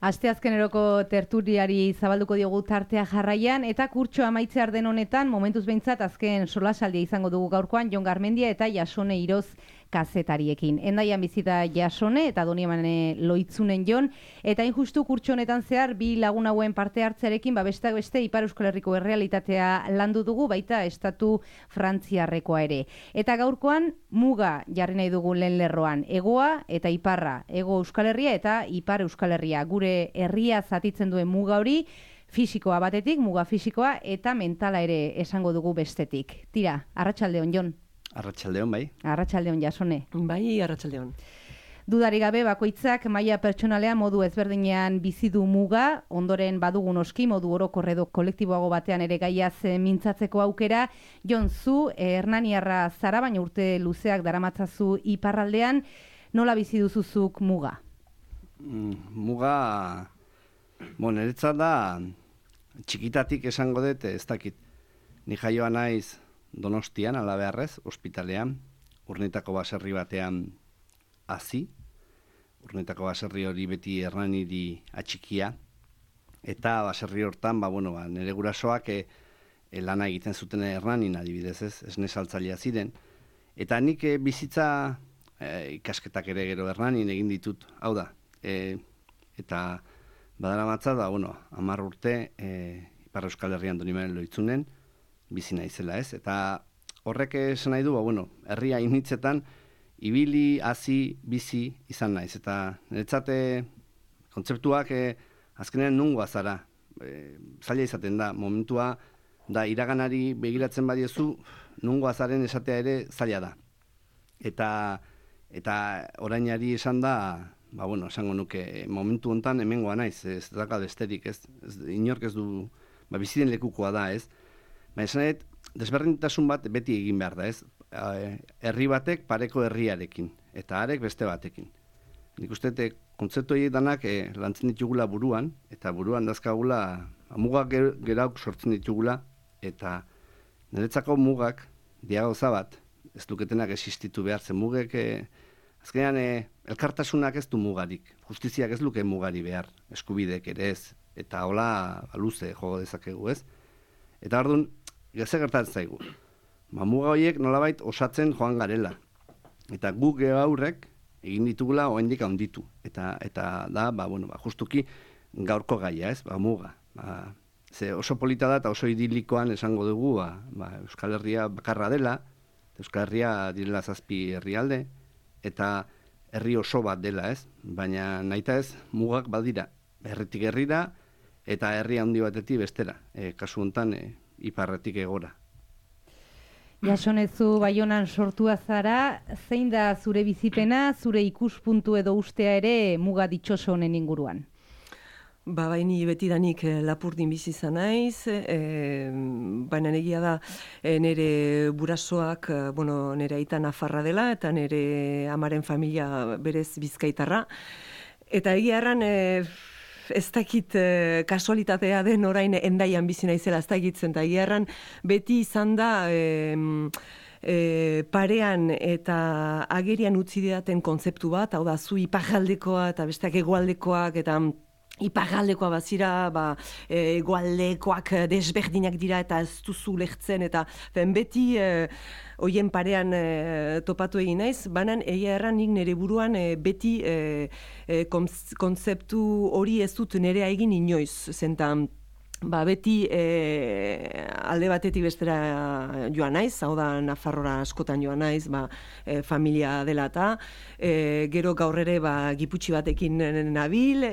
Asteazkeneroko tertuliari zabalduko diogu tartea jarraian, eta kurtso amaitzear den honetan, momentuz behintzat azken solasaldia izango dugu gaurkoan, Jon Garmendia eta Jasone Iroz kazetariekin. Endaian bizita Jasone eta Doniamane Loitzunen Jon, eta injustu kurtso honetan zehar, bi lagun hauen parte hartzearekin, besteak beste Ipar Euskal Herriko errealitatea landu dugu, baita estatu frantziarrekoa ere. Eta gaurkoan, muga jarri nahi dugu lehen lerroan, egoa eta iparra, ego Euskal Herria eta Ipar Euskal Herria, gure herria zatitzen duen muga hori, fisikoa batetik, muga fisikoa, eta mentala ere esango dugu bestetik. Tira, arratsaldeon Jon. Arratsaldeon, bai. Arratsaldeon Jasone. Bai, arratsaldeon. Dudari gabe bakoitzak maila pertsonalean modu ezberdinean bizi du muga, ondoren badugun oski modu orokor edo kolektiboago batean ere gaiaz mintzatzeko aukera. Jon, zu hernaniarra zara, baina urte luzeak daramatzazu iparraldean, nola bizi duzuzuk muga? Muga, niretzat da, txikitatik esango dut, ez dakit, ni jaioa naiz Donostian, ala beharrez, ospitalean, Urnetako baserri batean hazi, Urnetako baserri hori beti Hernaniri atxikia, eta baserri hortan, nire gurasoak lana egiten zuten Hernanin adibidez, esne saltzailea ziren, eta nik bizitza ikasketak ere gero Hernanin egin ditut, hau da, eta badaramatza da, 10 urte Ipar Euskal Herrian Doniamane Loitzunen, bizi naizela, ez? Eta horrek esan nahi du, herria initzetan, ibili, hazi, bizi izan naiz. Eta niretzat kontzeptuak azkenean nungoa zara. Zaila izaten da, momentua da iraganari begiratzen badiezu, nungoa zaren esatea ere zaila da. Eta orainari esan da, esango nuke, momentu hontan hemengoa naiz, ez daka besterik, ez? Inork ez du, biziren lekukoa da, ez? Baina desberdintasun bat beti egin behar da, ez? Herri batek pareko herriarekin, eta harek beste batekin. Nik uste kontzeptu horiek danak lantzen ditugula buruan, eta buruan dazkagula mugak gerauk sortzen ditugula, eta niretzako mugak diagauza bat, ez duketenak existitu behar, zen mugek azkenean elkartasunak ez du mugarik, justiziak ez luke mugari behar, eskubidek ere ez, eta hola luze jogo dezakegu, ez? Eta orduan, geze gertatzen zaigu. Muga horiek nolabait osatzen joan garela. Eta guk aurrek egin ditugula oraindik handitu. Eta da, justuki gaurko gaia, ez? Muga. Ze oso polita da eta oso idilikoan esango dugu, Euskal Herria bakarra dela, Euskal Herria direla 7 herrialde, eta herri oso bat dela, ez? Baina nahita ez, mugak badira. Herritik herrira, eta herri handi batetik bestera, kasu honetan iparretik egora. Jasonezu Baionan sortua zara, zein da zure bizipena, zure ikuspuntu edo ustea ere muga ditxoso honen inguruan? Baini betidanik Lapurdin bizi izan naiz, baina egia da nire burasoak, nire aita nafarra dela, eta nire amaren familia berez bizkaitarra. Eta egia erran, ez dakit kasualitatea den orain Endaian bizi naizela, ez dakitzen, eta egia erran beti izan da parean eta agerian utzi didaten kontzeptu bat, hau da, zu iparraldekoa eta besteak hegoaldekoak, eta iparraldekoa bazira, hegoaldekoak desberdinak dira eta ez duzu lehtzen, eta beti hoien parean topatu egin naiz, banan egia erran nik nire buruan beti kontzeptu hori ez dut nerea egin inoiz, zentan beti alde batetik bestera joan naiz, hau da Nafarrora askotan joan naiz, familia dela eta gero gaur ere Giputxi batekin nabil,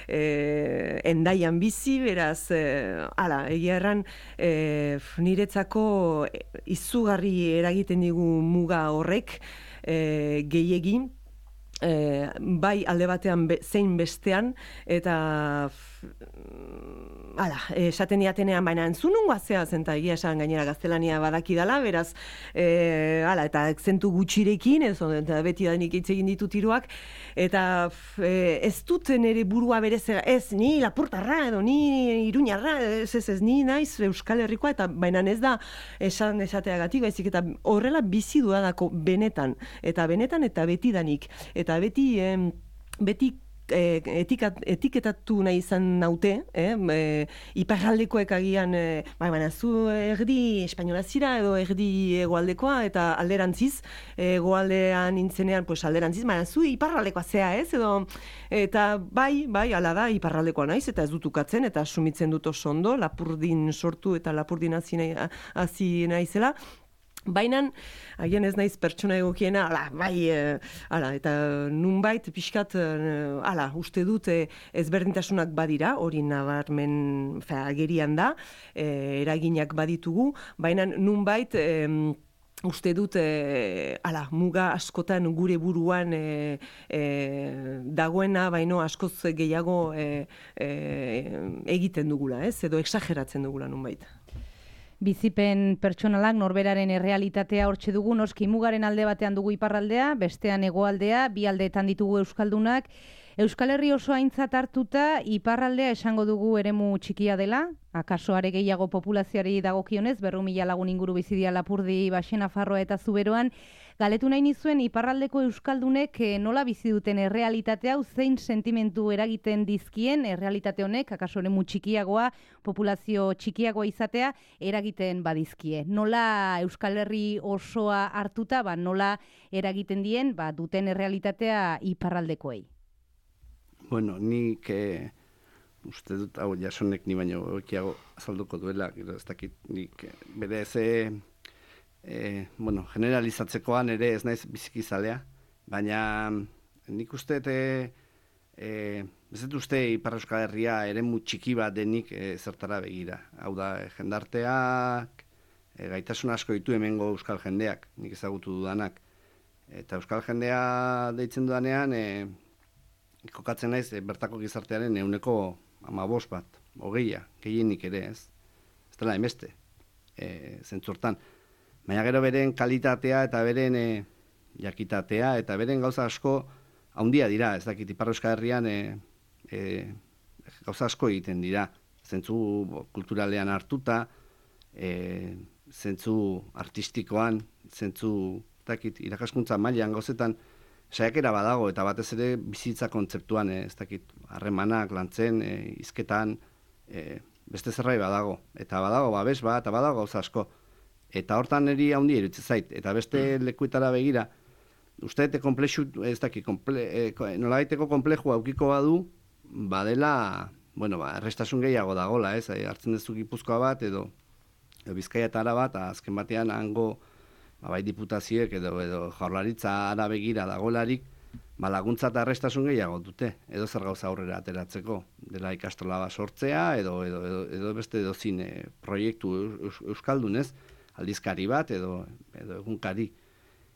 Endaian bizi, beraz, egia erran niretzako izugarri eragiten digu muga horrek gehiegin, bai alde batean zein bestean, eta esaten diatenean, baina entzunungoa zehazen, eta egia esan gainera gaztelania badakidala, beraz, eta akzentu gutxirekin, eta beti da nik hitz egin ditut hiruak, eta ez dut nire burua berezera, ez, ni Lapurtarra, edo ni Iruñarra, ez, ni naiz Euskal Herrikoa, eta baina ez da esateagatik, baizik, eta horrela bizi duadako benetan, eta betidanik, eta beti etiketatu nahi izan naute, iparraldekoek agian, baina zu erdi espainola zira edo erdi hegoaldekoa eta alderantziz, hegoaldean intzenean, pues alderantziz, baina zu iparraldekoa zea, ez? Edo, eta bai, hala da, iparraldekoa naiz, eta ez dut ukatzen, eta sumitzen dut oso ondo, Lapurdin sortu eta Lapurdin hasi naizela. Baina, agian ez naiz pertsona egokiena, eta nunbait pixkat, uste dut ezberdintasunak badira, hori nabarmen agerian da, eraginak baditugu, baina nunbait uste dut, muga askotan gure buruan dagoena, baino askoz gehiago egiten dugula, edo exageratzen dugula nunbait. Bizipen pertsonalak norberaren errealitatea hortxe dugu, noski mugaren alde batean dugu iparraldea, bestean hegoaldea, bi aldeetan ditugu euskaldunak. Euskal Herri oso aintzat hartuta, iparraldea esango dugu eremu txikia dela, akaso are gehiago populazioari dagokionez, 200.000 lagun inguru bizidia Lapurdi, Baxe Nafarroa eta Zuberoan. Galetu nahi nizuen iparraldeko euskaldunek nola bizi duten errealitate hau, zein sentimentu eragiten dizkien errealitate honek, akaso eremu txikiagoa, populazio txikiagoa izatea, eragiten badizkie. Nola Euskal Herri osoa hartuta, nola eragiten dien, duten errealitatea iparraldekoei? Bueno, nik uste dut, Jasonek ni baino ekiago azalduko duela, ez dakit nik bere generalizatzekoan ere ez naiz bizikizalea, baina nik uste ez dut uste Ipar Euskal Herria eremu txiki bat denik zertara begira. Hau da, jendarteak gaitasun asko ditu hemengo euskal jendeak, nik ezagutu dudanak. Eta euskal jendea deitzen dudanean, kokatzen naiz bertako gizartearen 15% bat, 20, gehienik ere, ez dela emeste, zentzurtan. Baina gero beren kalitatea eta beren jakitatea eta beren gauza asko haundia dira, ez dakit Ipar Euskal Herrian gauza asko egiten dira, zentzu kulturalean hartuta, zentzu artistikoan, zentzu irakaskuntza mailan gauzetan, saiakera badago, eta batez ere bizitza kontzeptuan, ez dakit, harremanak, lantzen, hizketan, beste zerbait badago. Eta badago babes bat, eta badago gauza asko. Eta hortan niri handi iruditzen zait. Eta beste lekuetara begira, uste dute komplexu, ez dakit, nolabaiteko komplexua aukiko badu, badela, errestasun gehiago dagola, ez? Hartzen duzu Gipuzkoa bat, edo Bizkaia eta Araba, eta azken batean hango bai diputazioek edo jaurlaritza ara begira dagolarik, laguntza eta arrestasun gehiago dute, edo zer gauza aurrera ateratzeko, dela ikastola bat sortzea, edo beste dozin proiektu euskaldunez, aldizkari bat, edo egunkari.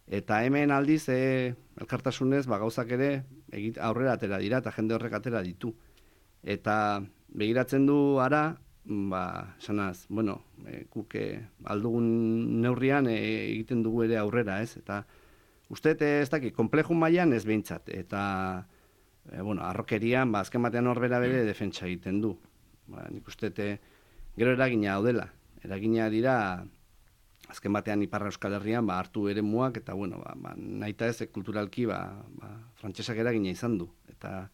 Eta hemen aldiz, elkartasunez, gauzak ere aurrera atera dira, eta jende horrek atera ditu. Eta begiratzen du ara, esanaz, guk aldugun neurrian egiten dugu ere aurrera, ez? Eta uste ez dakit, komplexu mailan ez behintzat, eta arrokerian, azken batean horbera bere defentsa egiten du. Nik uste gero eragina daudela. Eragina dira, azken batean Ipar Euskal Herrian hartu eremuak, eta nahita ez kulturalki frantsesak eragina izan du. Eta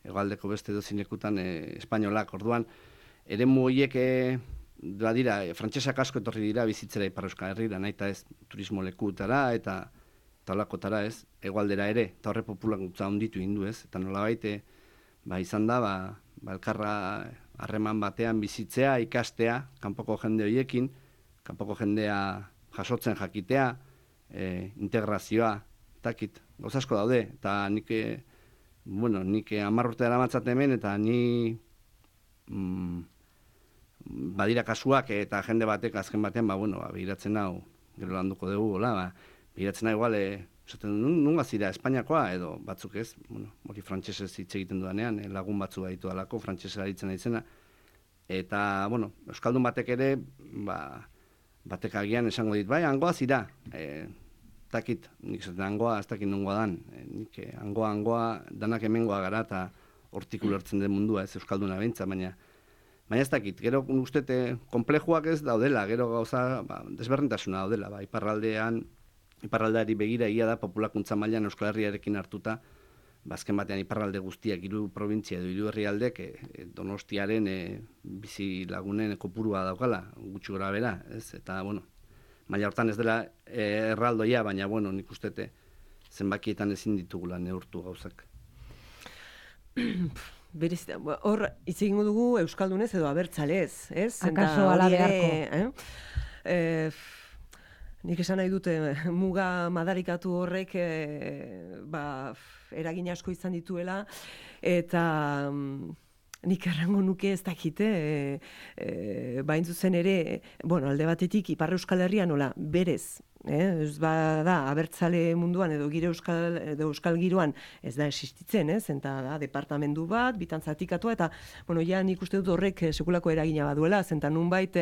hegoaldeko beste dozinekutan espainolak, orduan, eremu horiek dira, frantsesak asko etorri dira bizitzera Ipar Euskal Herrira, nahita ez turismo lekutara eta talakotara ez, hegoaldera ere, eta horre populakuntza onditu hindu ez, eta nolabait izan da, elkarra harreman batean bizitzea, ikastea, kanpoko jende horiekin, kanpoko jendea jasotzen jakitea, integrazioa, takit, gauza asko daude, eta nik 10 urte daramatzat hemen, eta ni badira kasuak eta jende batek azken batean, begiratzen hau, gero landuko dugu, begiratzen hau igual, nunga zira Espainiakoa, edo batzuk ez, hori frantsesez hitz egiten dudanean, lagun batzu baditu dalako, frantsesera aritzen aitzena, eta, euskaldun batek ere, batek agian esango dit, hangoa zira, takit, nik zaten hangoa, ez dakit nungoa dan, nik hangoa, danak hemengoa gara, eta hortik ulertzen den mundua, ez euskalduna behintza, baina ez dakit, gero ustete konplejuak ez daudela, gero gauza desberdintasuna daudela, iparraldeari begira egia da populakuntza mailan Euskal Herriarekin hartuta, bazken batean iparralde guztiak, 3 probintzia edo 3 herrialdek Donostiaren bizi lagunen kopurua daukala, gutxi gora bera, ez? Eta, bueno, maila hortan ez dela erraldoia, baina, bueno, nik ustete zenbakietan ezin ditugula neurtu gauzak. Berez, hor, hitz egingo dugu euskaldunez edo abertzalez, ez? Akaso ala beharko. Nik esan nahi dute muga madarikatu horrek eragin asko izan dituela, eta nik errango nuke ez dakite, bain zuzen ere, bueno, alde batetik Ipar Euskal Herria nola berez, ez da abertzale munduan edo euskal giroan ez da existitzen, eta da departamendu bat, bitan zatikatua, eta bueno, ja nik uste dut horrek sekulako eragina baduela, zenta nunbait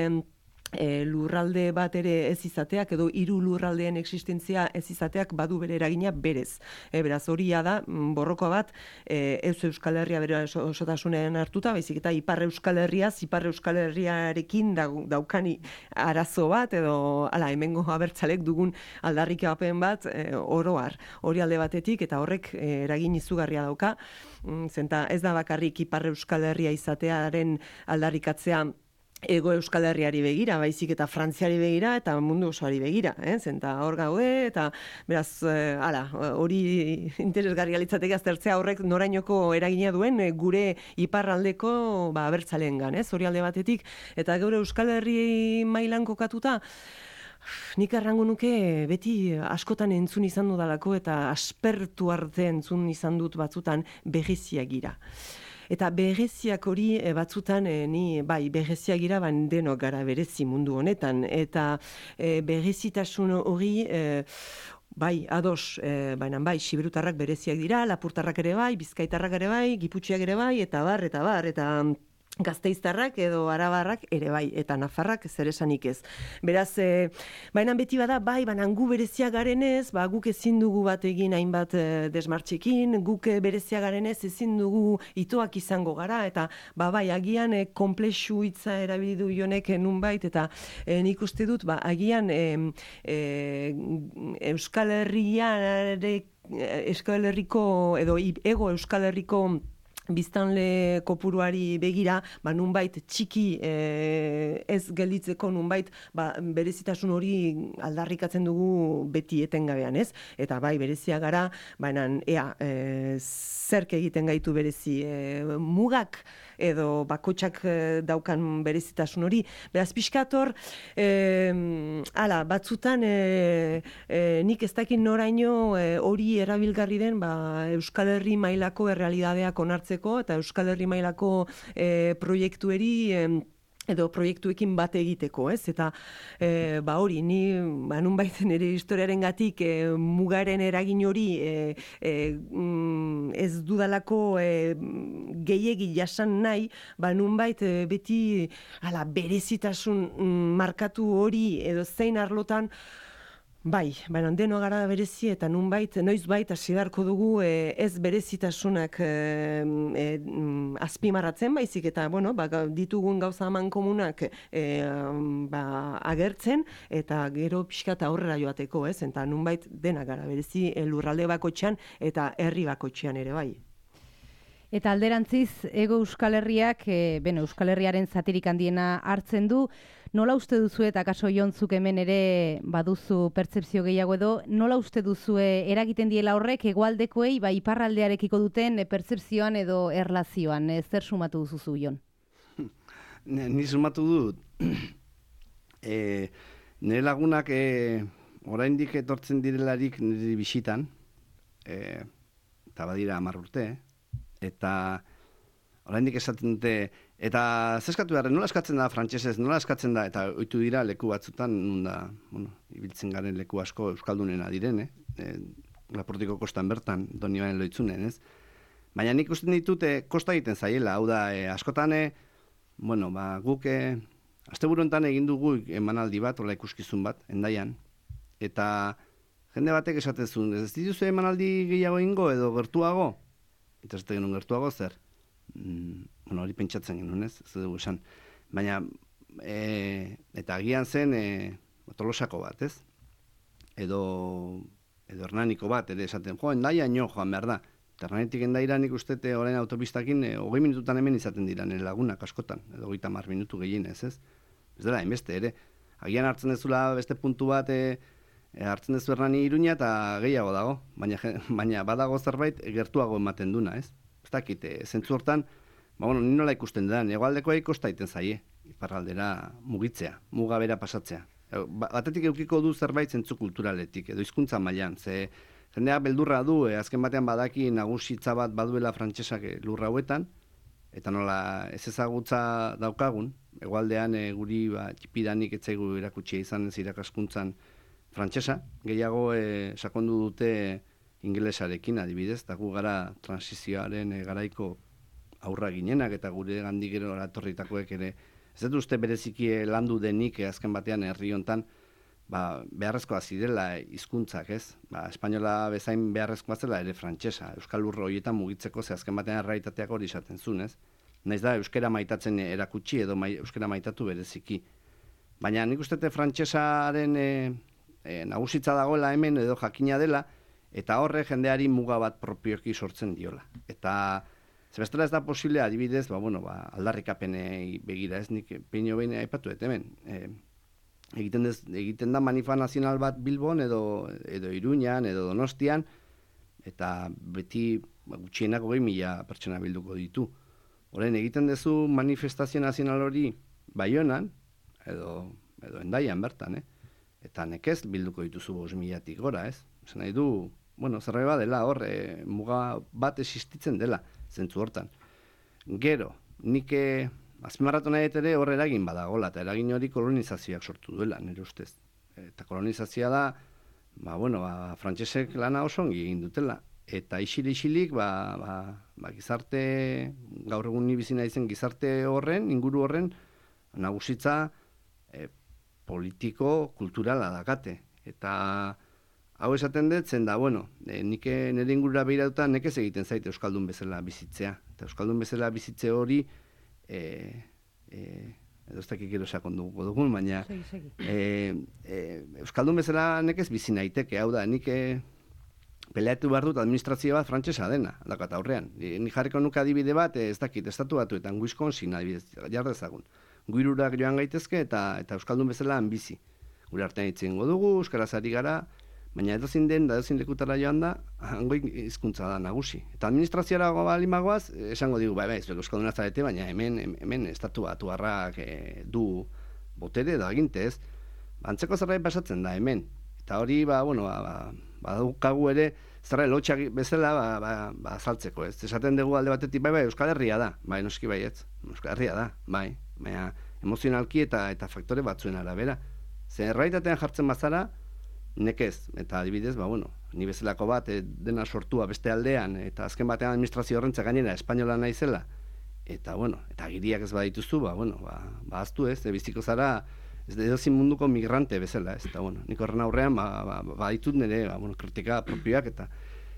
lurralde bat ere ez izateak edo 3 lurraldeen existentzia ez izateak badu bere eragina berez. Beraz horia da borrokoa bat ez Euskal Herria bere osotasunean hartuta, baizik eta Ipar Euskal Herriarekin daukani arazo bat edo hemengo abertzalek dugun aldarrikapen bat oroar. Hori alde batetik eta horrek eragin izugarria dauka. Zenta ez da bakarrik Ipar Euskal Herria izatearen aldarrikatzea Ego Euskal Herriari begira, baizik eta Frantziari begira eta mundu osoari begira, zenta hor gaude, eta beraz, hori interesgarria litzateke aztertzea horrek norainoko eragina duen gure iparraldeko abertzaleengan, hori alde batetik, eta geure Euskal Herri mailan kokatuta, nik errango nuke beti askotan entzun izan dudalako eta aspertu arte entzun izan dut batzutan bereziak gira. Eta bereziak hori batzutan, ni bereziak gira denok gara berezi mundu honetan, eta berezitasun hori ados, baina siberutarrak bereziak dira, lapurtarrak ere bai, bizkaitarrak ere bai, giputxiak ere bai, eta Gasteiztarrak edo arabarrak ere bai, eta nafarrak zer esanik ez. Beraz, baina beti bada, baina gu berezia garenez, guk ezin dugu bat egin hainbat desmartxekin, guk berezia garenez ezin dugu itoak izango gara, eta agian konplexu hitza erabildu jonek nunbait, eta nik uste dut, agian Euskal Herriko edo Ego Euskal Herriko biztanle kopuruari begira, nunbait txiki ez gelditzeko nunbait berezitasun hori aldarrikatzen dugu beti etengabean, ez? Eta berezia gara, baina zerk egiten gaitu berezi mugak edo bakotxak daukan berezitasun hori. Beraz, pixkator, batzutan nik ez dakin noraino hori erabilgarri den Euskal Herri mailako errealidadeak onartzeko eta Euskal Herri mailako proiektueri edo proiektuekin bat egiteko, ez? Eta hori, ni nunbait nire historiarengatik mugaren eragin hori ez dudalako gehiegi jasan nahi, nunbait beti berezitasun markatu hori edo zein arlotan baina deno gara berezi eta nunbait, noizbait hasi beharko dugu ez berezitasunak azpimarratzen, baizik eta, ditugun gauza eman komunak agertzen, eta gero pixka eta aurrera joateko, ez? Eta nunbait dena gara berezi lurralde bakotxean eta herri bakotxean ere bai. Eta alderantziz, Ego Euskal Herriak, Euskal Herriaren zatirik handiena hartzen du, nola uste duzu eta kaso jontzuk hemen ere baduzu pertzepzio gehiago edo, nola uste duzu eragiten diela horrek hegoaldekoei iparraldearekiko duten pertzepzioan edo erlazioan, zer sumatu duzu Jon? Ni sumatu dut, nire lagunak oraindik etortzen direlarik nire bisitan, eta badira 10 urte, eta oraindik esaten dute, eta zeskatu behar, nola eskatzen da frantsesez, nola eskatzen da, eta ohitu dira leku batzutan, ibiltzen garen leku asko euskaldunena diren, Lapurtiko kostan bertan, Donibane Loitzunen, ez? Baina nik usten ditute kosta egiten zaiela, hau da, askotan, guk, asteburu honetan egin dugu emanaldi bat, hola ikuskizun bat, Hendaian, eta jende batek esaten zuen, ez dituzu emanaldi gehiago ingo edo gertuago? Eta ez genuen gertuago zer? Hori pentsatzen genuen, ez dugu esan. Baina, eta agian zen Tolosako bat, ez? Edo Hernaniko bat, ere esaten, Hendaian joan behar da. Terranetik endaira nik uste orain autopistakin 20 minututan hemen izaten dira nire lagunak askotan, edo 30 minutu gehienez, ez? Ez dela, hainbeste ere. Agian hartzen dezula beste puntu bat hartzen dezu Hernani Iruña eta gehiago dago, baina badago zerbait gertuago ematen duna, ez? Ez dakit, zentzu hortan, ni nola ikusten da, hegoaldekoa ikostaiten zaie, iparraldera mugitzea, muga bera pasatzea. Batetik eukiko du zerbait zentzu kulturaletik, edo hizkuntza mailan, ze jendea beldurra du, azken batean badaki nagusitza bat baduela frantsesak lurra hauetan, eta nola ez ezagutza daukagun, hegoaldean guri txipidanik etzaigu erakutsia izan ez irakaskuntzan frantsesa, gehiago sakondu dute ingelesarekin adibidez, eta gu gara transizioaren garaiko aurra ginenak, eta gure gandik gero eratorritakoek ere, ez dut uste bereziki landu denik azken batean herri hontan, beharrezkoa zirela hizkuntzak, ez? Espainola bezain beharrezkoa zela ere frantsesa, euskal lurro horietan mugitzeko, ze azken batean errealitateak hori izaten zuen, ez? Naiz da euskara maitatzen erakutsi edo euskara maitatu bereziki. Baina nik uste frantsesaren nagusitza dagoela hemen edo jakina dela, eta horre jendeari muga bat propioki sortzen diola. Eta zebestela ez da posible adibidez, aldarrikapenei begira, ez nik peino behin aipatu hemen. Egiten da manifa nazional bat Bilbon edo Iruñan edo Donostian, eta beti gutxienak 20.000 pertsona bilduko ditu. Orain egiten duzu manifestazio nazional hori Baionan edo Hendaian bertan, eta nekez bilduko dituzu 5.000tik gora, ez? Esan nahi du, zerbait badela hor, muga bat existitzen dela, zentzu hortan. Gero, nik azpimarratu nahi ere hor eragin badagola, eta eragin hori kolonizazioak sortu duela, nire ustez. Eta kolonizazioa da, frantsesek lana oso ongi egin dutela. Eta isilik, gizarte, gaur egun ni bizi naizen gizarte horren, inguru horren, nagusitza politiko, kulturala dakate. Eta hau esaten dut, zen da, nik nire ingurura behiratuta nekez egiten zaite euskaldun bezala bizitzea. Eta euskaldun bezala bizitze hori, edo ez dakik gero sakonduko dugun, baina euskaldun bezala nekez bizi naiteke, hau da, nik peleatu behar dut administrazio bat frantsesa dena, dakat aurrean. Nik jarriko nuke adibide bat, ez dakit, estatu batuetan, Wisconsin adibidez, jardezagun. Guirurak joan gaitezke eta euskaldun bezala bizi. Gure artean itzen dugu, euskaraz ari gara, baina edozin den, edozin lekutara joan da, hango hizkuntza da nagusi. Eta administrazioa balimagoaz, esango digu, zuek euskalduna zarete, baina hemen estatu batuarrak du botere da aginte, ez? Antzeko zerbait pasatzen da hemen. Eta hori, badukagu ere, zerra lotxak bezala, azaltzeko, ez? Esaten dugu alde batetik, Euskal Herria da, noski baietz, Euskal Herria da, baina emozionalki eta faktore batzuen arabera. Zer erraitatean jartzen bazara, nekez, eta adibidez, ni bezalako bat dena sortua beste aldean, eta azken batean administrazio horrentza gainera espainola naizela, eta giriak ez badituzu, aztu ez, biziko zara, ez edozin munduko migrante bezala, ez, eta nik horren aurrean, baditut nire, kritika propioak, eta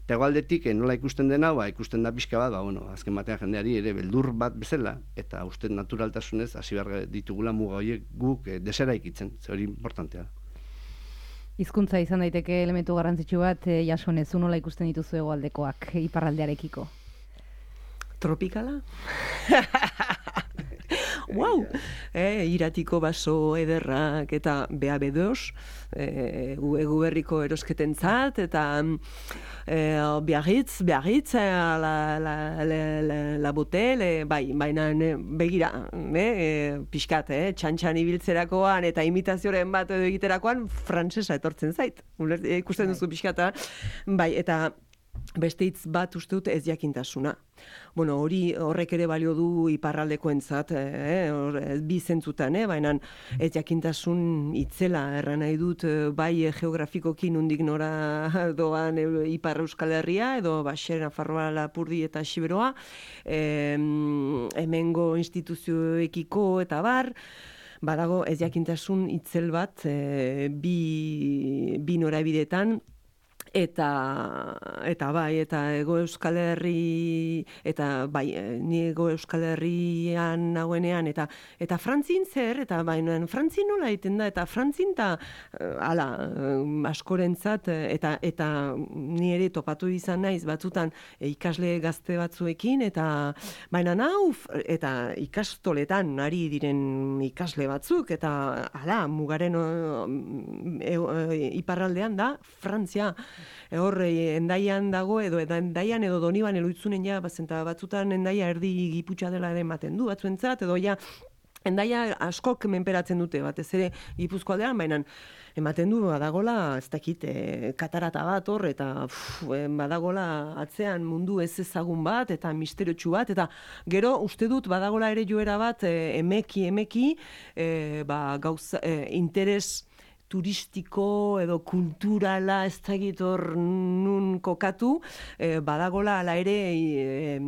egualdetik nola ikusten dena, ikusten da pixka bat, azken batean jendeari ere beldur bat bezala, eta uste naturaltasunez, hasi behar ditugula muga horiek guk desera ikitzen, ze hori importantea da. Hizkuntza izan daiteke elementu garrantzitsu bat, Jasone, zu nola ikusten dituzu hegoaldekoak iparraldearekiko? Tropikala? Wow! Iratiko baso ederrak eta BA2, egu berriko erosketentzat, eta Biarritz, la botel, baina begira, pixkat, txantxan ibiltzerakoan eta imitazioaren bat edo egiterakoan, frantsesa etortzen zait. Ikusten duzu pixkata, eta beste hitz bat uste dut ez jakintasuna. Horrek ere balio du iparraldekoentzat, bi zentzutan, baina ez jakintasun itzela erran nahi dut bai geografikoki nondik nora doan Ipar Euskal Herria, edo Baxer, Nafarroa, Lapurdi eta Xiberoa, hemengo instituzioekiko eta bar, badago ez jakintasun itzel bat bi norabidetan, Eta bai, eta Ego Euskal Herri, eta bai, ni Ego Euskal Herrian nagoenean, eta Frantzin zer, eta baina Frantzin nola egiten da, eta Frantzin eta askorentzat, eta ni ere topatu izan naiz batzutan ikasle gazte batzuekin, eta baina eta ikastoletan ari diren ikasle batzuk, eta mugaren iparraldean da Frantzia. Hor, Endaian dago, edo Doniban eloitzunen batzutan Endaia erdi Giputxa dela ere ematen du, batzuentzat, edo Endaia askok menperatzen dute, batez ere Gipuzko aldean, baina ematen du badagola, ez dakit, katarata bat hor, eta badagola atzean mundu ez ezagun bat, eta misteriotsu bat, eta gero uste dut badagola ere joera bat, emeki, gauza, interes turistiko edo kulturala ez dakit hor nun kokatu, badagola ala ere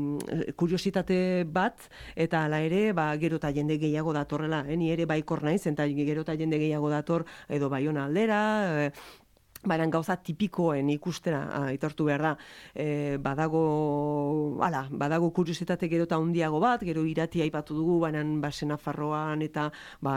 kuriositate bat, eta ala ere gero eta jende gehiago datorrela, ni ere baikor naiz, eta gero eta jende gehiago dator edo Baiona aldera, baina gauza tipikoen ikustera aitortu behar da, badago kuriositate gero eta handiago bat, gero Irati aipatu dugu, baina Baxe Nafarroan eta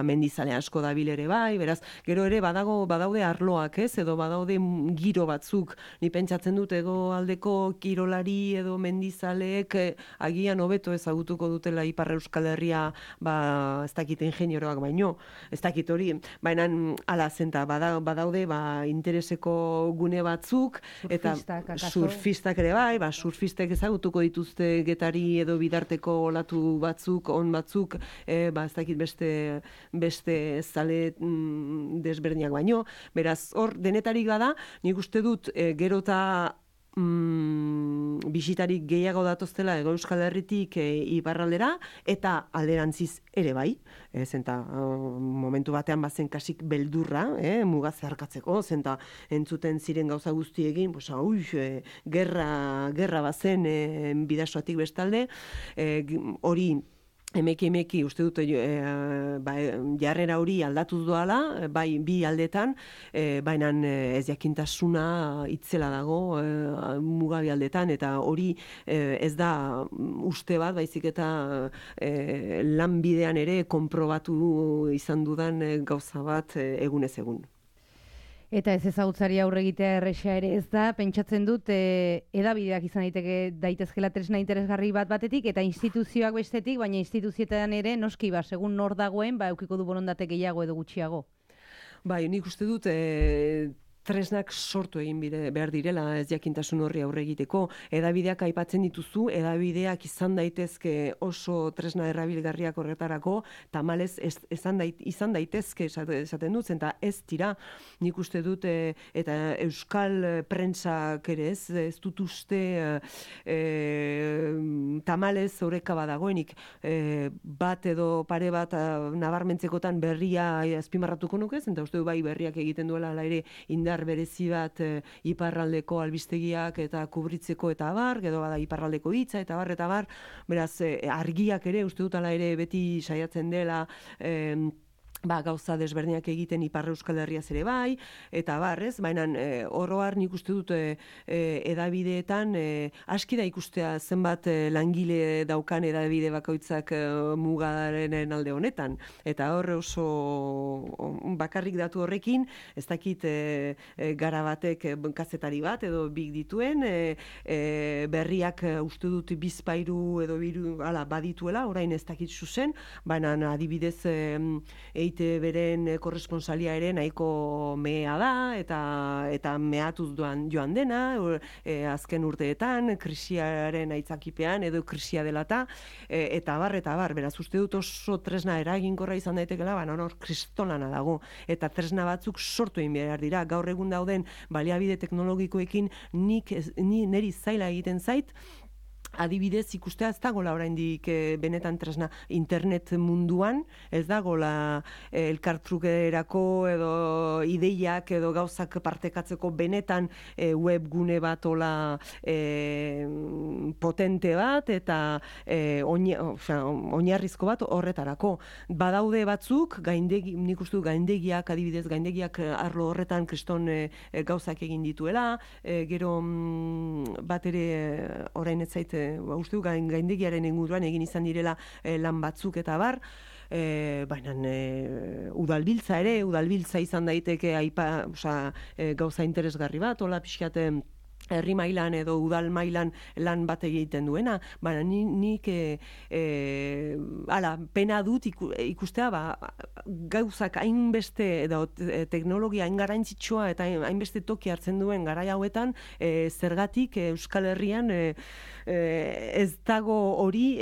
mendizale asko dabil ere bai, beraz, gero ere badaude arloak, edo badaude giro batzuk, ni pentsatzen dut Ego aldeko kirolari edo mendizaleek agian hobeto ezagutuko dutela Ipar Euskal Herria, ez dakit ingenioroak baino, ez dakit hori, baina zenta badaude intereseko gune batzuk, eta surfistak ere bai, surfistek ezagutuko dituzte Getari edo bidarteko olatu batzuk, on batzuk, ez dakit beste zale desberdinak baino, beraz, hor denetarik bada, nik uste dut gero eta bisitarik gehiago datoztela Ego Euskal Herritik iparraldera, eta alderantziz ere bai, zenta momentu batean bazen kasik beldurra, muga zeharkatzeko, zenta entzuten ziren gauza guztiekin, gerra bazen bidasoatik bestalde, hori emeki uste dute jarrera hori aldatu doala, bai bi aldetan, baina ez jakintasuna itzela dago mugabi aldetan, eta hori ez da uste bat, baizik eta lanbidean ere konprobatu izan dudan gauza bat egunez egun. Eta ez ezagutzari aurre egitea erresa ere ez da, pentsatzen dut edabideak izan daitezkela tresna interesgarri batetik, eta instituzioak bestetik, baina instituzietan ere noski segun nor dagoen, eukiko du borondate gehiago edo gutxiago. Bai, nik uste dut tresnak sortu egin behar direla ez jakintasun horri aurre egiteko. Edabideak aipatzen dituzu, edabideak izan daitezke oso tresna errabilgarriak horretarako, tamalez izan daitezke esaten dut, eta ez dira, nik uste dut, eta euskal prentsak ere ez dut uste tamalez horreka badagoenik, bat edo pare bat nabarmentzekotan berria azpimarratuko nukez, eta uste du bai berriak egiten duela ala ere indar berezi bat iparraldeko albistegiak eta kubritzeko eta abar, edo bada iparraldeko hitza eta abar, beraz argiak ere uste dut ala ere beti saiatzen dela gauza desberdinak egiten Ipar Euskal Herriaz ere bai, eta barrez, baina oroar nik uste dut edabideetan aski da ikustea zenbat langile daukan edabide bakoitzak mugaren alde honetan, eta hor oso bakarrik datu horrekin, ez dakit gara batek kazetari bat edo bik dituen, berriak uste dut bizpairu edo biru badituela, orain ez dakit zuzen, baina adibidez beren korresponsalia ere nahiko mea da, eta mehatuz joan dena, azken urteetan, krisiaren aitzakipean, edo krisia delata, eta bar, beraz uste dut oso tresna eraginkorra izan daitekela, hor kristolana dago, eta tresna batzuk sortu egin behar dira, gaur egun dauden baliabide teknologikoekin niri zaila egiten zait, adibidez ikustea ez dagoela oraindik benetan tresna internet munduan, ez dagoela elkartrukerako edo ideiak edo gauzak partekatzeko benetan webgune bat ola potente bat eta oinarrizko bat horretarako. Badaude batzuk, nik uste gaindegiak, adibidez gaindegiak arlo horretan kriston gauzak egin dituela, gero bat ere orain ez zait uste du gaindegiaren inguruan egin izan direla lan batzuk eta bar, baina udalbiltza izan daiteke gauza interesgarri bat, hola pixkat herri mailan edo udal mailan lan bat egiten duena, baina nik pena dut ikustea gauzak hainbeste edo teknologia hain garrantzitsua eta hainbeste toki hartzen duen garai hauetan zergatik Euskal Herrian ez dago hori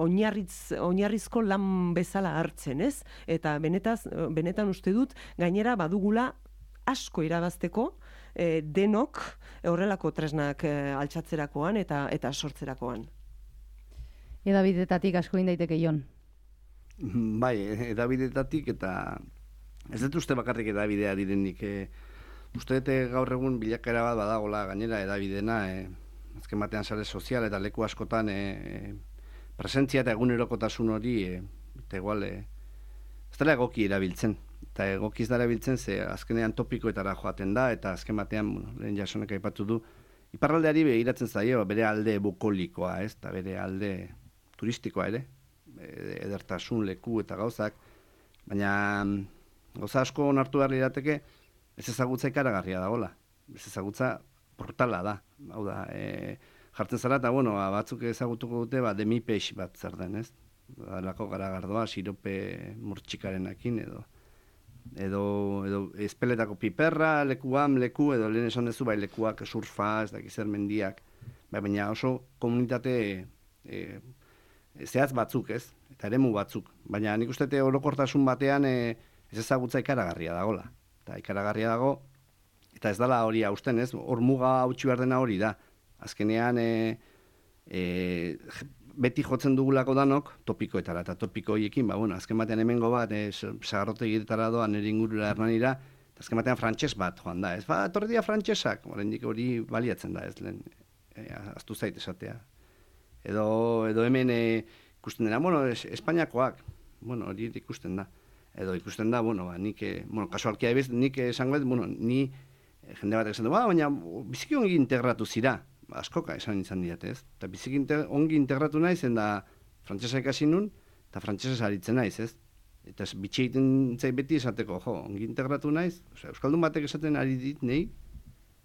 oinarrizko lan bezala hartzen, ez? Eta benetan uste dut gainera badugula asko irabazteko denok horrelako tresnak altxatzerakoan eta sortzerakoan. Edabidetatik asko indaiteke, Jon? Bai, edabidetatik eta ez dut uste bakarrik edabidea direnik. Uste dut gaur egun bilakaera bat badagola gainera edabidena, azken batean sare sozial eta leku askotan presentzia eta egunerokotasun hori eta igual ez dela egoki erabiltzen. Eta egokiz dara biltzen, ze azkenean topikoetara joaten da, eta azken batean, lehen Jasonek aipatu du, iparraldeari begiratzen zaio, bere alde bukolikoa, ez? Eta bere alde turistikoa ere, edertasun, leku eta gauzak, baina gauza asko onartu behar lirateke, ez ezagutza ikaragarria dagoela, ez ezagutza portala da, hau da, jartzen zara, eta batzuk ezagutuko dute, demipeix bat zer den, ez? Lako garagardoa, sirope murtxikarenakin edo espeletako piperra, leku edo lehen esan dezu, lekuak surfa, ez dakiz zer mendiak, baina oso komunitate zehatz batzuk, ez? Eta eremu batzuk, baina nik uste orokortasun batean ez ezagutza ikaragarria dagoela. Eta ikaragarria dago, eta ez dala hori hausten, ez? Hor muga hautsi behar dena hori da. Azkenean beti jotzen dugulako danok topikoetara, eta topiko horiekin, azken batean hemengo bat, sagarrotegitara doa nire ingurura Hernanira, eta azken batean frantses bat joan da, ez? Etorri dira frantsesak, oraindik hori baliatzen da, ez lehen, aztu zait esatea. Edo hemen ikusten dena, Espainiakoak, hori ikusten da. Edo ikusten da, nik, kasualkia ebiz, nik esango ni jende bat esan du, baina biziki ongi integratu zira, askoka esan izan diate, ez? Eta biziki ongi integratu naiz, da frantsesa ikasi nun, eta frantsesez aritzen naiz, ez? Eta bitxe egiten zait beti esateko, ongi integratu naiz, euskaldun batek esaten ari dit, nei,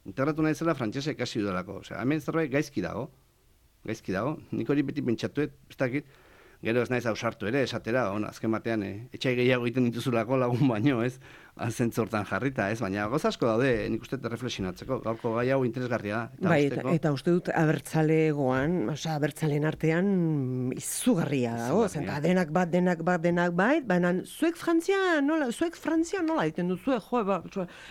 integratu naizela frantsesa ikasi dudalako. Hemen zerbait gaizki dago, nik hori beti pentsatuet, ez dakit, gero ez naiz ausartu ere, esatera, azken batean, etxai gehiago egiten dituzulako lagun baino, ez? Zentzortan jarrita, ez? Baina goz asko daude, nik uste reflexionatzeko, gaurko gai hau interesgarria da. Bai, eta uste dut abertzalegoan, abertzaleen artean izugarria dago, zenta denak bai, baina zuek Frantzia nola egiten duzu,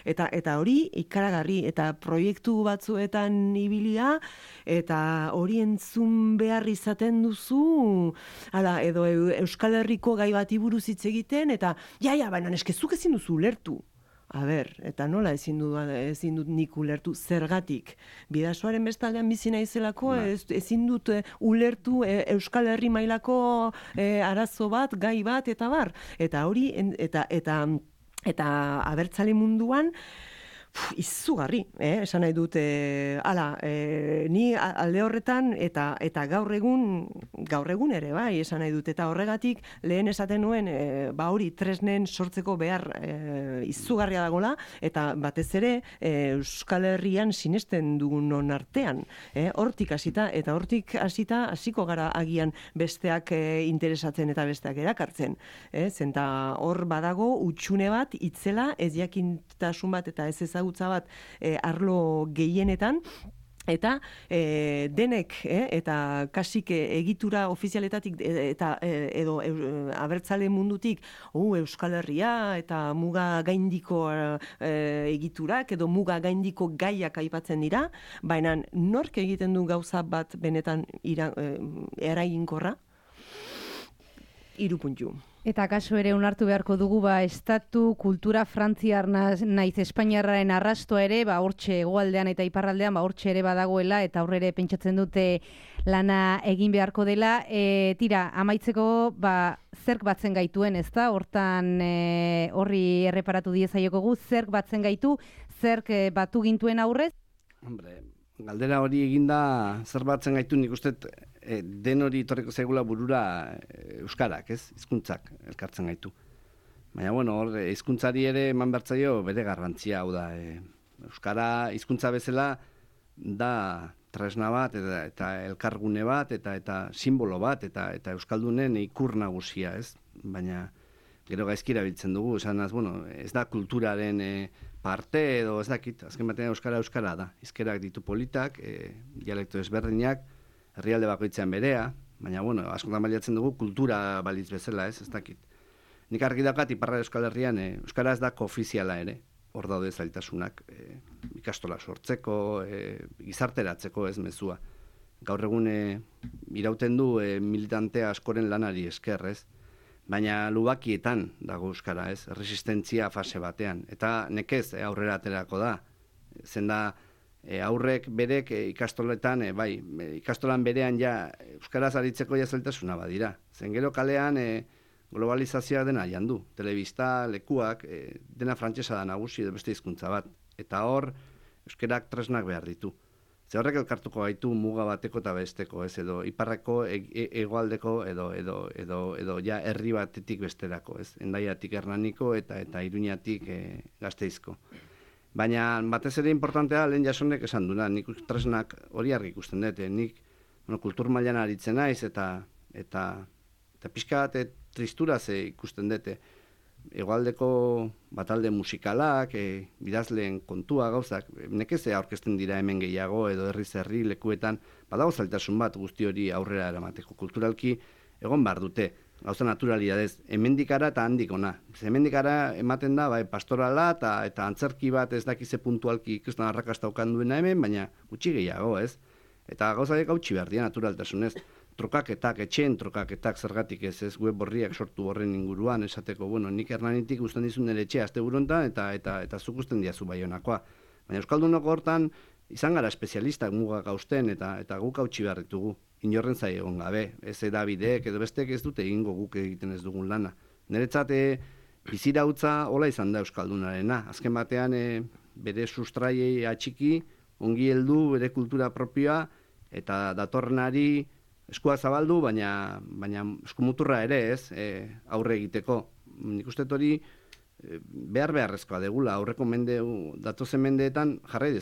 eta hori ikaragarri, eta proiektu batzuetan ibilia, eta hori entzun behar izaten duzu, edo Euskal Herriko gai bati buruz hitz egiten, eta baina eskezuk ezin duzu ulertu. Eta nola ezin dut nik ulertu zergatik. Bidasoaren bestaldean bizi naizelako, ezin dut ulertu Euskal Herri mailako arazo bat, gai bat, eta bar. Eta hori, eta abertzale munduan, izugarri, esan nahi dut, ni alde horretan eta gaur egun ere, bai, esan nahi dut, eta horregatik lehen esaten nuen, hori tresnen sortzeko behar izugarria dagola, eta batez ere Euskal Herrian sinesten dugunon artean, hortik hasita, eta hortik hasiko gara agian besteak interesatzen eta besteak erakartzen, zenta hor badago utxune bat, itzela, ez jakintasun bat eta ez ezagutza bat arlo gehienetan, Eta denek, eta kasik egitura ofizialetatik eta edo abertzale mundutik Euskal Herria eta muga gaindiko egiturak edo muga gaindiko gaiak aipatzen dira, baina nork egiten du gauza bat benetan eraginkorra? 3 puntu. Eta kaso ere onartu beharko dugu estatu kultura frantziar naiz espainiarraren arrastoa ere, hortxe hegoaldean eta iparraldean hortxe ere badagoela eta aurrere pentsatzen dute lana egin beharko dela. Tira, amaitzeko zerk batzen gaituen, ezta? Hortan horri erreparatu diezaiokogu, zerk batzen gaitu, zerk batu gintuen aurrez? Hombre, galdera hori eginda zer batzen gaitu, nik uste den hori torreko zaigula burura euskarak, ez? Hizkuntzak elkartzen gaitu. Baina, hor, hizkuntzari ere eman bertzaio bere garrantzia, hau da. Euskara hizkuntza bezala da tresna bat, eta elkargune bat, eta simbolo bat, eta euskaldunen ikur nagusia, ez? Baina, gero gaizkira biltzen dugu, esanaz, ez da kulturaren parte, edo ez dakit, azken batean euskara da. Hizkerak ditu politak, dialekto ezberdinak, herrialde bakoitzean berea, baina, askotan baliatzen dugu kultura balitz bezala, ez dakit. Nik argi daukat, iparra Euskal Herrian, euskara ez da koofiziala ere, hor daude zailtasunak, ikastola sortzeko, gizarteratzeko ez mezua. Gaur egun irauten du militante askoren lanari esker, ez? Baina lubakietan dago euskara, ez? Resistentzia fase batean, eta nekez aurrera aterako da, zenda aurrek berek ikastoletan, ikastolan berean euskaraz aritzeko zailtasuna badira. Zen gero kalean globalizazioa dena jandu. Telebista, lekuak, dena frantsesa da nagusi edo beste hizkuntza bat. Eta hor, euskerak tresnak behar ditu. Ze horrek elkartuko gaitu muga bateko eta besteko, ez? Edo iparreko, hegoaldeko edo herri batetik besterako, ez? Hendaiatik Hernaniko eta Iruñatik Gasteizko. Baina batez ere importantea lehen Jasonek esan duna, nik tresnak hori argi ikusten dut, nik kultur mailan aritzen naiz eta pixka bat tristuraz ikusten dut. Hegoaldeko batalde musikalak, bidazleen kontua gauzak, nekez aurkezten dira hemen gehiago edo herri lekuetan, badago zailtasun bat guzti hori aurrera eramateko. Kulturalki egon behar dute. Gauza naturalidadez, hemendikara eta handik ona. Hemendikara ematen da, pastorala eta antzerki bat ez dakize puntualki ikusten arrakasta okan duena hemen, baina gutxi gehiago, ez? Eta gauza dek hautsi behar dira naturaltasunez. Trukaketak, etxeen trukaketak zergatik ez, web horriak sortu horren inguruan, esateko, nik Hernanitik usten dizun nire etxea azte burontan eta zuk usten diazu Baionakoa. Baina Euskaldunoko hortan izan gara espezialistak mugak hausten eta guk hautsi behar ditugu. Inorren zai egon gabe, ez edabideek edo besteek ez dute egingo guk egiten ez dugun lana. Niretzat bizirautza hola izan da Euskaldunarena. Azken batean bere sustraiei atxiki, ongi heldu bere kultura propioa eta datorrenari eskua zabaldu, baina eskumuturra ere ez aurre egiteko. Nik uste hori beharrezkoa degula, aurreko datozen mendeetan jarrai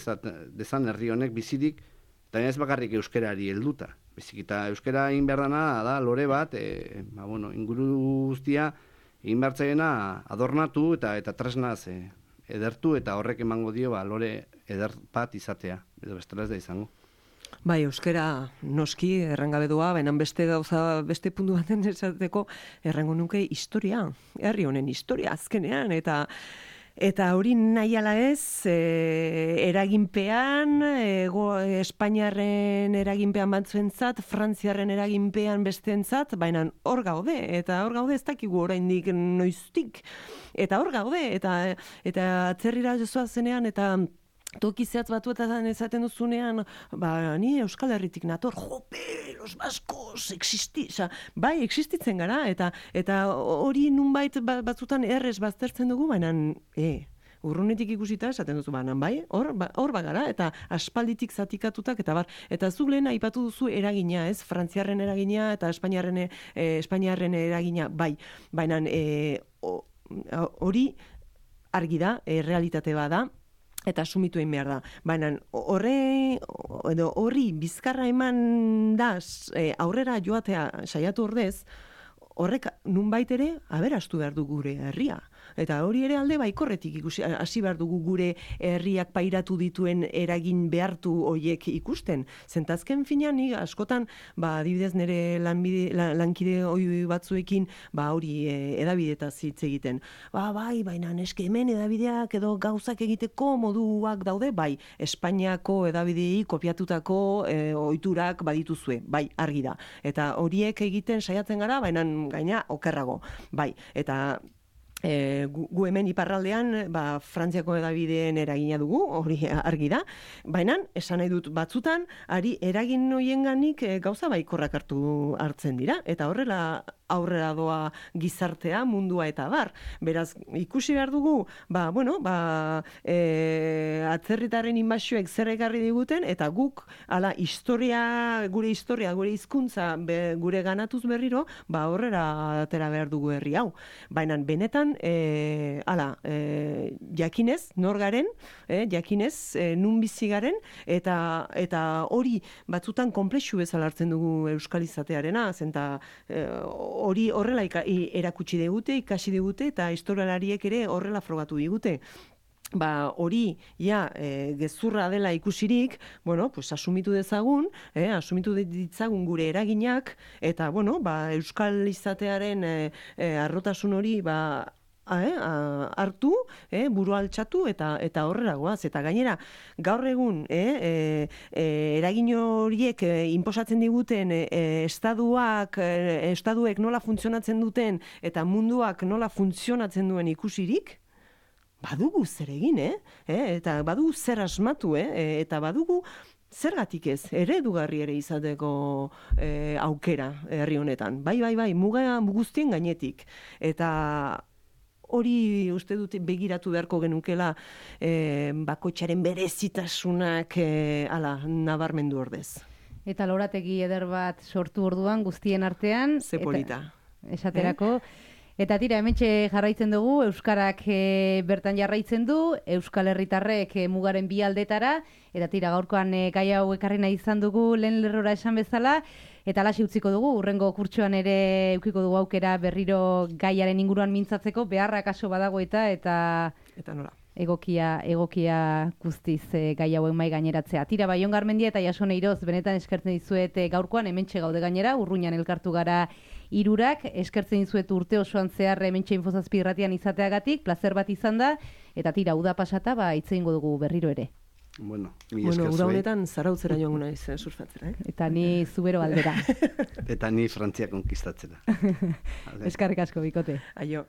dezan herri honek bizirik, eta ez bakarrik euskerari helduta. Bezik eta euskera egin behar dana da lore bat, inguru guztia egin behar zaiena adornatu eta tresnaz edertu eta horrek emango dio lore eder bat izatea, edo bestela ez da izango. Bai, euskera noski errangabe doa, baina beste puntu baten esateko errango nuke historia, herri honen historia azkenean, eta hori nahi ala ez, eraginpean, Espainiarren eraginpean batzuentzat, Frantziarren eraginpean besteentzat, baina hor gaude, eta hor gaude ez dakigu oraindik noiztik, eta hor gaude, eta atzerrira jozoa zenean, eta toki zehatz batuetan ezaten duzunean, ni Euskal Herritik nator, jope, los baskos, bai, existitzen gara, eta hori nunbait batzutan errez baztertzen dugu, baina, urrunetik ikusita esaten duzu, bai, hor bagara, eta aspalditik zatikatutak, eta zuk lehen aipatu duzu eragina, ez, Frantziarren eragina, eta Espainiarren eragina, bai, baina hori argi da, realitate bada, eta asumitu egin behar da. Baina horri bizkarra eman da aurrera joatea saiatu ordez, horrek nunbait ere aberastu behar du gure herria. Eta hori ere alde baikorretik ikusi, hasi behar dugu gure herriak pairatu dituen eragin behartu hoiek ikusten. Zentazken finean, ni askotan, adibidez nire lankide hoi batzuekin, hori edabidetaz hitz egiten. Bai, baina eske hemen edabideak edo gauzak egiteko moduak daude, bai, Espainiako edabidei kopiatutako ohiturak badituzue, bai, argi da. Eta horiek egiten saiatzen gara, baina gaina okerrago, bai, eta gu hemen iparraldean Frantziako edabideen eragina dugu, hori argi da, baina esan nahi dut batzutan, eragin hoienganik gauza baikorrak hartzen dira, eta horrela aurrera doa gizartea, mundua eta bar. Beraz, ikusi behar dugu, atzerritarren inbasioek zer ekarri diguten, eta guk, gure historia, gure hizkuntza gure ganatuz berriro, horrera atera behar dugu herri hau. Baina, benetan, jakinez, nor garen, jakinez, nun bizi garen, eta hori batzutan konplexu bezala hartzen dugu euskal izatearena, zenta hori horrela erakutsi digute, ikasi digute, eta historialariek ere horrela frogatu digute. Hori, gezurra dela ikusirik, asumitu dezagun, asumitu ditzagun gure eraginak, eta, euskal izatearen arrotasun hori, hartu, buru altxatu eta horrela goaz. Eta gainera, gaur egun eragin horiek inposatzen diguten estaduek nola funtzionatzen duten eta munduak nola funtzionatzen duen ikusirik, badugu zer egin, eta badugu zer asmatu, eta badugu zergatik ez, eredugarri ere izateko aukera herri honetan. Bai, muga guztien gainetik. Eta hori uste dut begiratu beharko genukela bakoitzaren berezitasunak nabarmendu ordez. Eta lorategi eder bat sortu orduan guztien artean. Ze polita. Esaterako. Eta tira, hementxe jarraitzen dugu, euskarak bertan jarraitzen du, euskal herritarrek mugaren bi aldetara, eta tira, gaurkoan gai hau ekarri nahi izan dugu lehen lerrora esan bezala, eta alaxi utziko dugu, urrengo kurtsoan ere eukiko dugu aukera berriro gaiaren inguruan mintzatzeko, beharrak aso badago eta nola. Egokia guztiz gai hauen mai gaineratzea. Tira, Jon Garmendia eta Jasone Iroz, benetan eskertzen dizuet gaurkoan, hementxe gaude gainera, Urruñan elkartu gara hirurak, eskertzen dizuet urte osoan zehar hementxe Infozazpi irratian izateagatik, plazer bat izan da, eta tira, uda pasata, hitz egingo dugu berriro ere. Uda honetan zarautzera joango naiz surfatzera. Eta ni zubero aldera. Eta ni Frantzia konkistatzera. Eskerrik asko, bikote. Aio.